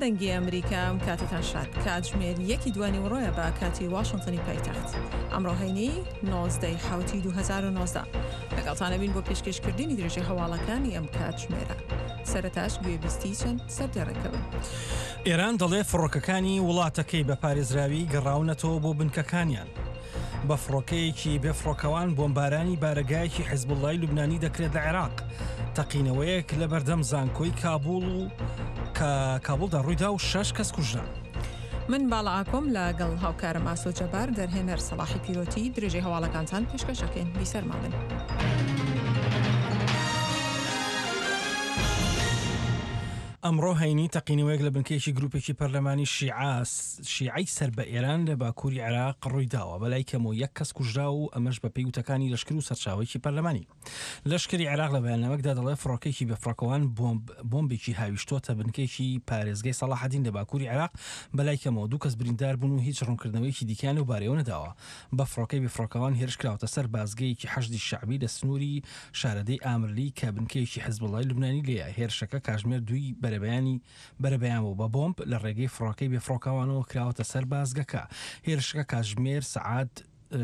دەنگی ئەمریکا ئەم کاتەتان شاد. کاتژمێر یەکی دوانیوەڕۆیە بە کاتی واشنتنی پایتەخت. ئەمڕۆ هەینی 19 ی حەوتی 2019. لەگەڵتان ئەبین بۆ پێشکێشکردنی درێژەی هەواڵەکانی ئەم کاتژمێرە. سەرەتاش گوێبیستی چەند سەردێڕێکە بن. ئێران دەڵێ فڕۆکەکانی وڵاتەکەی بە پارێزراوی گەڕاونەتەوە بۆ بنکەکانیان. بە فڕۆکەیەکی بێفڕۆکەوان بۆمبارانی بارەگایەکی حزبوڵای لوبنانی دەکرێت لە عێراق. تەقینەوەیەک لە بەردەم زانکۆی کابوڵ و کە کابوڵدا ڕوویدا و شەش کەس کوژران. من باڵا ئاکۆم لە گەڵ هاوکارم ئاسۆ جەبار دەرهێنەر سەڵاحی پیرۆتی درێژەی هەواڵەکانتان پێشکەش ئەکەین بیسەرمان بن. ئەمڕۆ هەینی تەقینەوەیەک لە بنکەیەکی گروپێکی پەرلەمانی شیعە شیعەی سەر بە ئێران لە باکووری عێراق ڕوویداوە، بەلای کەمەوە یەک کەس کوژرا و ئەمەش بەپێی وتەکانی لەشکر و سەرچاوەیەکی پەرلەمانی. لەشکری عێراق لە بەیاننامەکدا دەڵێت فڕۆکەیەکی بێفڕۆکەوان بۆمب بۆمبێکی هاویشتۆتە بنکەیەکی پارێزگای سەڵاحەدین لە باکووری عێراق، بەلای کەمەوە دوو کەس بریندار بوون و هیچ ڕوونکردنەوەیەکی دیکەیان لەو بارەیەوە نەداوە. بە فڕۆکەی بێفڕۆکەوان هێرش کراوەتە سەر بازگەیەکی حەشدی شەعبی لە سنووری شارەدێی ئامرلی کە بنکەیەکی حزبوڵای لوبنانی لێیە، هێرشەکە کاژمێر دووی بەرەبەیانی بەرەبەیان بوو بە بۆمب لە ڕێگەی فڕۆکەی بێفڕۆکەوانەوە کراوەتە سەر بازگەکە. هێرشەکە کاتژمێر سەعات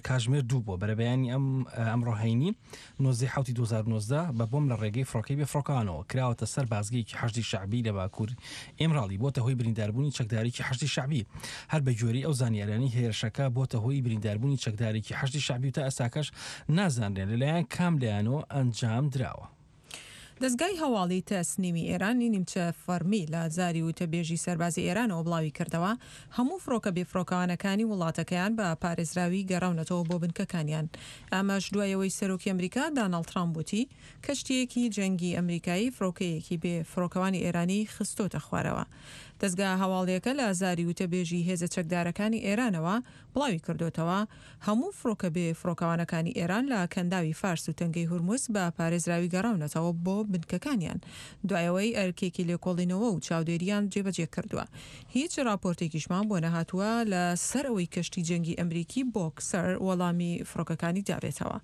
کاتژمێر دوو بووە بەرەبەیانی ئەم ئەمڕۆ هەینی 19 حوتی 2019 بە بۆم لە ڕێگەی فڕۆکەی بێفڕۆکەوانەوە کراوەتە سەر بازگەیەکی حەشدی شەعبی لە باکوور ئیمراڵی بۆتە هۆی برینداربوونی چەکدارێکی حەشدی شەعبی. هەر بە گوێرەی ئەو زانیاریانەی هێرشەکە بۆتە هۆی برینداربوونی چەکدارێکی حەشدی شەعبی و تا ئێستاکەش نازانرێن لەلایەن کام لایەنەوە ئەنجام دراوە. دەزگای هەواڵی تەسنیمی ئێرانی نیمچە فەڕمی لە زاری وتەبێژی سەربازی ئێرانەوە بڵاویکردەوە، هەموو فڕۆکە بێفڕۆکەوانەکانی وڵاتەکەیان بە پارێزراوی گەڕاونەتەوە بۆ بنکەکانیان. ئەمەش دوای ئەوەی سەرۆکی ئەمریکا داناڵد ترامپ وتی، کەشتییەکی جەنگی ئەمریکایی فڕۆکەیەکی بێ فڕۆکەوانی ئێرانی خستۆتە خوارەوە. دەزگا هەواڵییەکە لە زاری وتەبێژی هێزە چەکدارەکانی ئێرانەوە بڵاویکردۆتەوە، هەموو فڕۆکە بێ فڕۆکەوانەکانی ئێران لە کەنداوی فارس و تەنگەی هورمز بە پارێزراوی گەڕاونەتەوە بۆ بنکەکانیان دوای ئەوەی ئەرکێکی لێکۆڵینەوە و چاودێرییان جێبەجێ کردووە. هیچ ڕاپۆرتێکیشمان بۆ نەهاتووە لە سەر ئەوەی کەشتی جەنگی ئەمریکی بۆکسەر وەڵامی فڕۆکەکانی دابێتەوە.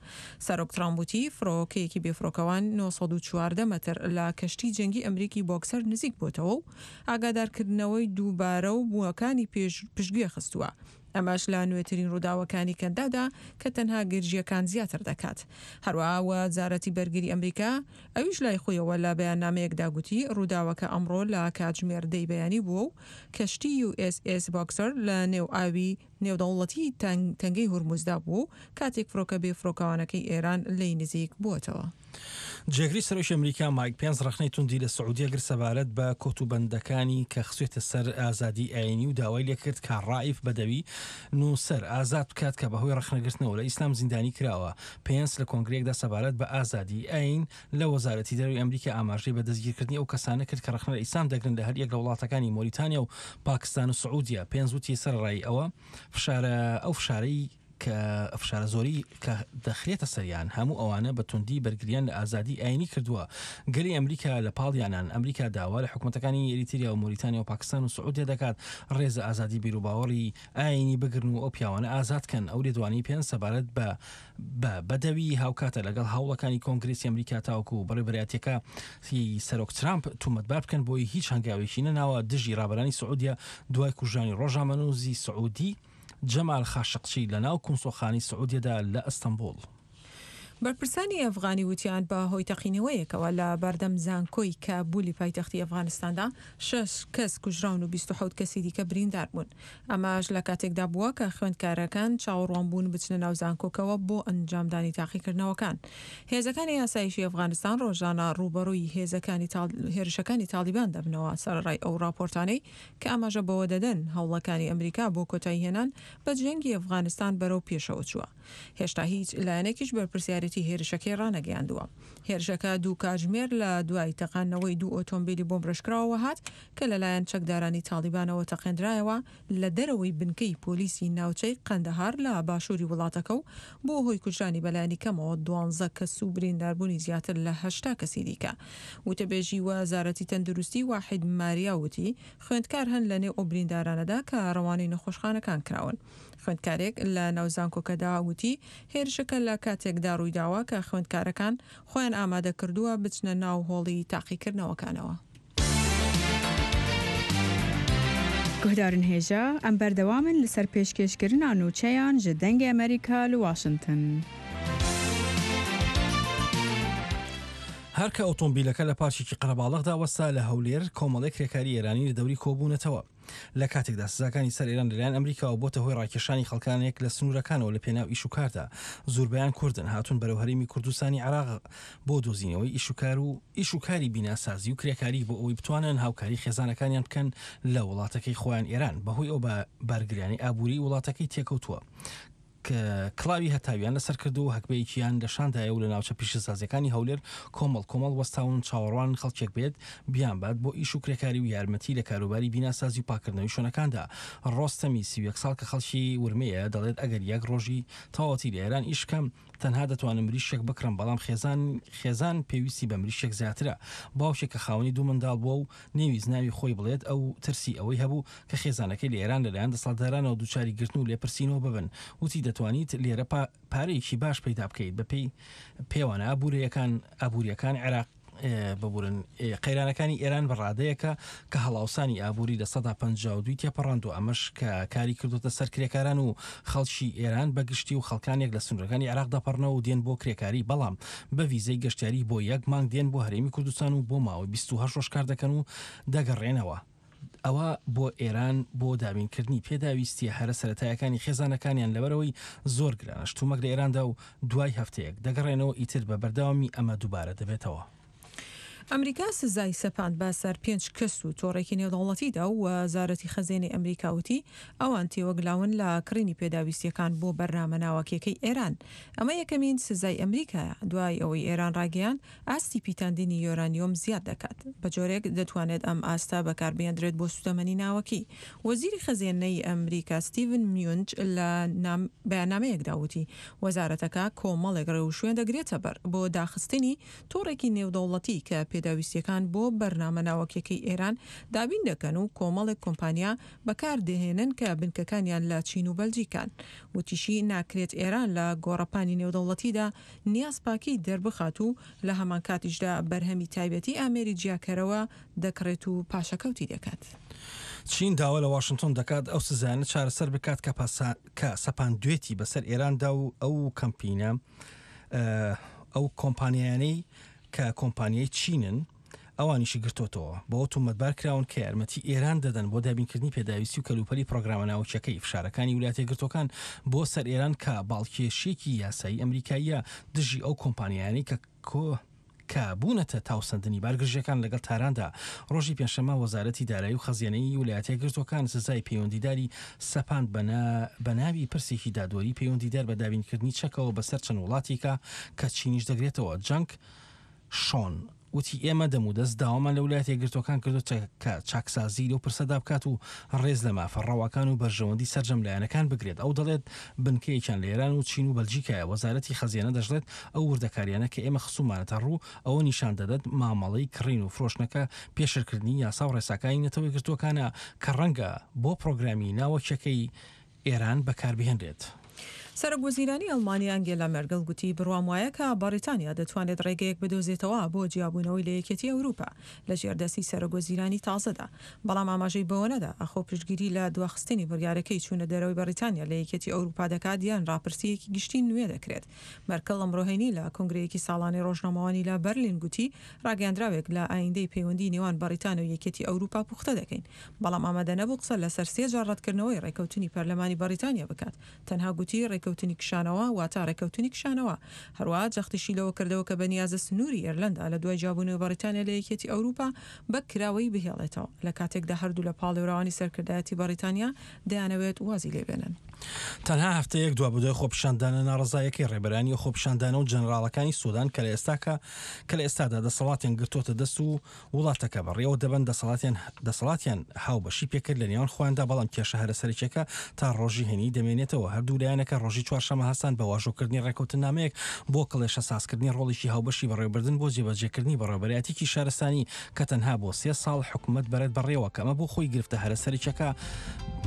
سەرۆک ترامپ وتی، فڕۆکەیەکی بێفڕۆکەوان 914 مەتر لە کەشتی جەنگی ئەمریکی بۆکسەر نزیک بۆتەوە و ئاگادارکردنەوەی دووبارە و بووەکانی پشتگوێ خستووە، ئەمەش لە نوێترین ڕووداوەکانی کەنداودا کە تەنها گرژییەکان زیاتر دەکات. هەروەها وەزارەتی بەرگری ئەمریکا ئەویش لای خۆیەوە لە بەیاننامەیەکدا گوتی ڕووداوەکە ئەمڕۆ لە کاتژمێر دەی بەیانی بووە و کەشتی یو ئێس ئێس بۆکسەر لە نێو ئاوی نێودەوڵەتی تەنگەی هورمزدا بووە و کاتێک فڕۆکە بێفڕۆکەوانەکەی ئێران لێی نزیک بووەتەوە. جێگری سەرۆکی ئەمریکا مایک پێنس ڕەخنەی توندی لە سعودیە گرت سەبارەت بە کۆتوبەندەکانی کە خستوێتە سەر ئازادی ئاینی و داوای لێکرد کە ڕائیف بەدەوی نووسەر ئازاد بکات کە بەهۆی ڕەخنەگرتنەوە لە ئیسلام زیندانی کراوە. پێنس لە کۆنگرەیەکدا سەبارەت بە ئازادی ئاین لە وەزارەتی دەرەوەی ئەمریکا ئاماژەی بە دەستگیرکردنی ئەو کەسانە کرد کە ڕەخنە لە ئیسلام دەگرن لە هەریەک لە وڵاتەکانی مۆریتانیا و پاکستان و سعودیە. پێنس وتی سەرەڕای ئەوە فشارە ئەو فشارەی کە فشارە زۆری کە دەخرێتە سەریان هەموو ئەوانە بە توندی بەرگریان لە ئازادی ئاینی کردووە گەلی ئەمریکا لە پاڵیانان ئەمریکا داوا لە حکومەتەکانی ئێریتریا و مۆریتانیا و پاکستان و سعودیە دەکات ڕێز لە ئازادی بیروباوەڕی ئاینی بگرن و ئەو پیاوانە ئازاد کەن ئەو لێدوانەی پێنس سەبارەت بە بە بەدەوی هاوکاتە لەگەڵ هەوڵەکانی کۆنگرێسی ئەمریکا تاوەکو بەڕێوەبەرایەتیەکە ی سەرۆک ترامپ تومەتبار بکەن بۆی هیچ هەنگاوێکی نەناوە دژی ڕابەرانی سعودیە دوای کوژرانی ڕۆژنامەنووسی سعودی جەمال خاشقچی لە ناو کونسوڵخانەی سعودیەدا لە ئەستەنبوڵ. بەرپرسانی ئەفغانی وتیان بە هۆی تەقینەوەیەکەوە لە بەردەم زانکۆی کابولی پایتەختی ئەفغانستاندا شەش کەس کوژراون و 27 کەسی دیکە بریندار بوون. ئەمەش لە کاتێکدا بووە کە خوێندکارەکان چاوەڕوان بوون بچنە ناو زانکۆکەوە بۆ ئەنجامدانی تاقیکردنەوەکان. هێزەکانی ئاسایشی ئەفغانستان ڕۆژانە ڕووبەڕووی هێزەکانی هێرشەکانی تاڵیبان دەبنەوە، سەرەڕای ئەو ڕاپۆرتانەی کە ئاماژە بەوە دەدەن هەوڵەکانی ئەمریکا بۆ کۆتاییهێنان بە جەنگی ئەفغانستان بەرەو پێشەوە چووە. هێشتا هیچ لایەنێکیش بەرپرسیارێتی هێرشەکەی ڕانەگەیاندووە. هێرشەکە دوو کاتژمێر لە دوای تەقاندنەوەی دوو ئۆتۆمبیلی بۆمبڕێژکراوەوە هات کە لەلایەن چەکدارانی تاڵیبانەوە تەقێندرایەوە لە دەرەوەی بنکەی پۆلیسی ناوچەی قەندەهار لە باشووری وڵاتەکە و بووە هۆی کوژرانی بەلایەنی کەمەوە دوانزە کەس و برینداربوونی زیاتر لە 80 کەسی دیکە. وتەبێژی وەزارەتی تەندروستی واحید ماریا وتی، خوێندکار هەن لەنێو ئەو بریندارانەدا کە ڕەوانەی نەخۆشخانەکان کراون. خوێندکارێک لە ناو زانکۆکەدا وتی، هێرشەکە لە کاتێکدا ڕوویداوە کە خوێندکارەکان خۆیان ئامادەکردووە بچنە ناو هۆڵی تاقیکردنەوەکانەوە. Guhdarên hêja, em berdewam in li ser pêşkêşkirina nûçeyan ji Dengê Amerîka li Washington. هەر کە ئۆتۆمبیلەکە لە پارکێکی قەرەباڵغدا وەستا لە هەولێر، کۆمەڵێک کرێکاری ئێرانی لە دەوری کۆبوونەتەوە. لە کاتێکدا سزاکانی سەر ئێران لەلایەن ئەمریکاوە بۆتە هۆی ڕاکێشانی خەڵکانێک لە سنوورەکانەوە لە پێناو ئیش و کاردا، زوربەیان کوردن، هاتوون بەرەو هەرێمی کوردستانی عێراق بۆ دۆزینەوەی ئیش و کار و ئیش و کاری بیناسازی و کرێکاری بۆ ئەوەی بتوانن هاوکاری خێزانەکانیان بکەن لە وڵاتەکەی خۆیان ئێران بەهۆی ئەو بارگرانی ئابووری وڵاتەکەی تێکەوتووە. کڵاوی هەتاویان لەسەر کردووە و هەگبەیەکیان لە شاندایە و لە ناوچە پیشەسازیەکانی هەولێر کۆمەڵ کۆمەڵ وەستاون چاوەڕوانن خەڵکێک بێت بیانبات بۆ ئیش و کرێکاری و یارمەتی لە کاروباری بیناسازی و پاککردنەوەی شوێنەکاندا. ڕۆستەمی 31 ساڵ کە خەڵکی ورمێیە دەڵێت ئەگەر یەک ڕۆژی تەواوەتی لە ئێران ئیش بکەم تەنها دەتوانم مریشکێک بکڕم بەڵام خێزان خێزان پێویستی بە مریشکێک زیاترە. باوکێک کە خاوەنی دوو منداڵ بووە و نەیویست ناوی خۆی بڵێت، ئەو ترسی ئەوەی هەبوو کە خێزانەکەی لە ئێران لەلایەن دەسەڵاتدارانەوە دووچاری گرتن و لێپرسینەوە ببن، وتی دەتوانیت لێرە پارەیەکی باش پەیدا بکەیت بەپێی پێوانە ئابوورەیەکان ئابوورییەکان عێراق ببورن قەیرانەکانی ئێران بە ڕادەیەکە کە هەڵاوسانی ئابووری 52% تێپەڕاندووە ئەمەش کە کاری کردوتە سەر کرێکاران و خەڵکی ئێران بە گشتی و خەڵکانێک لە سنوورەکانی عێراق دەپەڕنەوە و دێن بۆ کرێکاری بەڵام بە ڤیزەی گەشتیاری بۆ یەک مانگ دێن بۆ هەرێمی کوردستان و بۆ ماوەی 28 ڕۆژ کار دەکەن و دەگەڕێنەوە ئەوە بۆ ئێران بۆ دابینکردنی پێداویستیە هەرە سەرەتایەکانی خێزانەکانیان لەبەرئەوەی زۆر گرانە شتومەک لە ئێراندا و دوای هەفتەیەک دەگەڕێنەوە ئیتر بە بەردەوامی ئەمە دووبارە دەبێتەوە. ئەمریکا سزای سەپاند بە سەر پێنج کەس و تۆڕێکی نێودەوڵەتیدا و وەزارەتی خەزێنەی ئەمریکا وتی ئەوان تێوەگلاون لە کڕینی پێداویستییەکان بۆ بەرنامە ناوەکیەکەی ئێران. ئەمە یەکەمین سزای ئەمریکایە دوای ئەوەی ئێران ڕایگەیاند ئاستی پیتاندنی یۆرانیۆم زیاد دەکات، بە جۆرێک دەتوانێت ئەم ئاستە بەکاربهێندرێت بۆ سوتەمەنی ناوەکی. وەزیری خەزێنەی ئەمریکا ستیڤن میونچ لە بەیاننامەیەکدا وتی، وەزارەتەکە کۆمەڵێک ڕێوشوێن دەگرێتەبەر بۆ داخستنی تۆڕێکی نێودەوڵەتی کە پێداویستییەکان بۆ بەرنامە ناوەکیەکەی ئێران دابین دەکەن و کۆمەڵێک کۆمپانیا بەکاردەهێنن کە بنکەکانیان لە چین و بەلجیکان. وتیشی، ناکرێت ئێران لە گۆڕەپانی نێودەوڵەتیدا نیازپاکی دەربخات و لە هەمانکاتیشدا بەرهەمی تایبەتی ئامێری جیاکەرەوە دەکڕێت و پاشەکەوتی دەکات. چین داوا لە واشنتۆن دەکات ئەو سزایانە چارەسەر بکات کە کە سەپاندوێتی بەسەر ئێراندا و ئەو کەمپینە ئەو کۆمپانیایانەی کە کۆمپانیای چینن ئەوانیشی گرتۆتەوە، بەوە تۆمەتبار کراون کە یارمەتی ئێران دەدەن بۆ دابینکردنی پێداویستی و کەلوپەلی پرۆگرامە ناوکییەکەی، فشارەکانی ویلایەتە یەکگرتووەکان بۆ سەر ئێران کە باڵکێشییەکی یاسایی ئەمریکاییە دژی ئەو کۆمپانیایانەی کە کە بوونەتە تاوسەندنی بارگرژییەکان لەگەڵ تاراندا. ڕۆژی پێنجشەممە وەزارەتی دارایی و خەزێنەی ویلایەتە یەکگرتووەکان سزای پەیوەندیداری سەپاند بە ناوی پرسێکی دادوەری پەیوەندیدار بە دابینکردنی چەکەوە بەسەر چەند وڵاتێکا کە چینیش دەگرێتەوە. جەنگ شۆن وتی، ئێمە دەمودەست داوامان لە ولایەتە یەکگرتووەکان کردووە کە چاکسازی لەو پرسەدا بکات و ڕێز لە مافە ڕەواکان و بەرژەوەندی سەرجەم لایەنەکان بگرێت. ئەو دەڵێت، بنکەیەکیان لە ئێران و چین و بەلجیکایە. وەزارەتی خەزێنە دەشڵێت، ئەو وردەکارییانە کە ئێمە خستوومانەتە ڕوو، ئەوە نیشان دەدەت مامەڵەی کڕین و فرۆشتنەکە پێشێلکردنی یاسا و ڕێساکانی نەتەوە یەکگرتووەکانە کە ڕەنگە بۆ پڕۆگرامی ناوەکییەکەی ئێران بەکاربهێنرێت. سەرۆک وەزیرانی ئەڵمانیا ئەنگێلا مێرگڵ گوتی بڕوام وایە کە بەڕیتانیا دەتوانێت ڕێگەیەک بدۆزێتەوە بۆ جیابوونەوەی لە یەکێتی ئەوروپا لە ژێر دەستی سەرۆک وەزیرانی تازەدا بەڵام ئاماژەی بەوە نەدا ئاخۆ پشتگیری لە دواخستنی بڕیارەکەی چوونە دەرەوەی بەڕیتانیا لە یەکێتی ئەوروپا دەکات یان ڕاپرسییەکی گشتی نوێ دەکرێت. مێرکڵ ئەمڕۆ هەینی لە کۆنگرەیەکی ساڵانەی ڕۆژنامەوانی لە بەرلین گوتی ڕاگەیاندراوێک لە ئایندەی پەیوەندی نێوان بەڕیتانیا و یەکێتی ئەوروپا پوختە دەکەین بەڵام ئامادە نەبوو قسە لەسەر سێ جار ڕەتکردنەوەی ڕێکەوتنی پەرلەمانی بەڕیتانیا بکات، تەنها گوتی ڕێکەوتنی کشانەوە واتە ڕێکەوتنی کشانەوە. هەروەها جەختیشی لەوە کردەوە کە بەنیازە سنووری ئێرلەندا لە دوای جیابوونەوەی بەڕیتانیا لە یەکێتی ئەوروپا بە کراوەیی بهێڵێتەوە، لە کاتێکدا هەردوو لە پاڵێوراوانی سەرکردایەتی بەڕیتانیا دەیانەوێت وازی لێبێنن. تەنها هەفتەیەک دوابەدوای خۆپیشاندانە ناڕەزاییەکەی ڕێبەرانی ئەو خۆپیشاندانە و جەنەراڵەکانی سودان کە لە ئێستاکە کە لە ئێستادا دەسەڵاتیان گرتۆتە دەست و وڵاتەکە بەڕێوە دەبەن، دەسەڵاتیان دەسەڵاتیان هاوبەشی پێکرد لە نێوان خۆیاندا، بەڵام کێشە هەرە سەرەکیەکە تا ڕۆژی هەینی دەمێنێتەوە. هەردوو لایەنەکە ڕۆژی چوارشەممە هەستان بە واژۆکردنی ڕێکەوتننامەیەک بۆ کڵێشە سازکردنی ڕۆڵێکی هاوبەشی بەڕێوەبردن بۆ جێبەجێکردنی بەڕێوەبەرایەتیکی شارستانی کە تەنها بۆ سێ ساڵ حکومەت بەرێت بەڕێوە کە ئەمە بۆ خۆی گرفتە هەرە سەرەکیەکە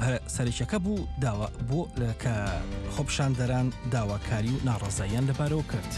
هەرە سەرەکیەکە بوو داوا بۆ کە خۆپیشاندەران داواکاری و ناڕەزاییان لەبارەوە کرد.